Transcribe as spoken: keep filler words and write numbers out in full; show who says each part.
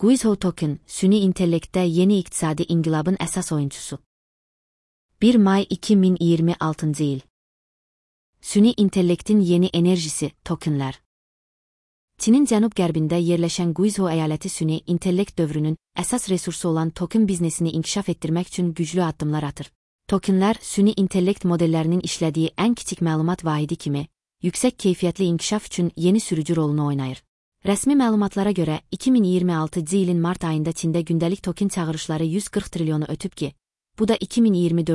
Speaker 1: Guizhou Token, süni intellektdə yeni iqtisadi inqilabın əsas oyuncusu. bir may iki min iyirmi altıncı il. Süni intellektin yeni enerjisi, tokenlər. Çinin cənub-qərbində yerləşən Guizhou əyaləti süni intellekt dövrünün əsas resursu olan token biznesini inkişaf etdirmək üçün güclü addımlar atır. Tokenlər, süni intellekt modellərinin işlədiyi ən kiçik məlumat vahidi kimi, yüksək keyfiyyətli inkişaf üçün yeni sürücü rolunu oynayır. Rəsmi məlumatlara görə, iki min iyirmi altıncı ilin mart ayında Çində gündəlik token çağırışları yüz qırx trilyonu ötüb ki, bu da iki min iyirmi dördüncü